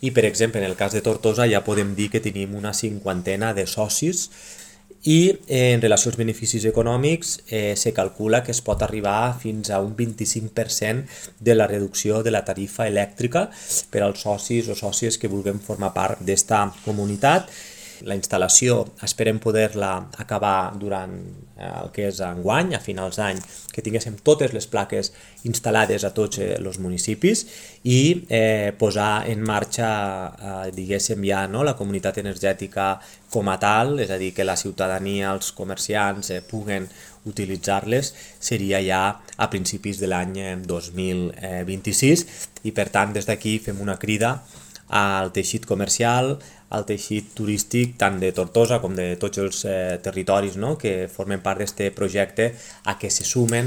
i, per exemple, en el cas de Tortosa ja podem dir que tenim una 50ena de socis i en relació als beneficis econòmics se calcula que es pot arribar fins a un 25% de la reducció de la tarifa elèctrica per als socis o sòcies que vulguem formar part d'esta comunitat. La instal·lació esperem poder-la acabar durant el que és enguany, a finals d'any, que tinguéssim totes les plaques instal·lades a tots els municipis i posar en marxa, diguéssim ja, no, la comunitat energètica com a tal, és a dir, que la ciutadania, els comerciants puguen utilitzar-les, seria ja a principis de l'any 2026 i per tant des d'aquí fem una crida al teixit comercial, al teixit turístic tant de Tortosa com de tots els territoris, no?, que formen part d'aquest projecte a que se sumen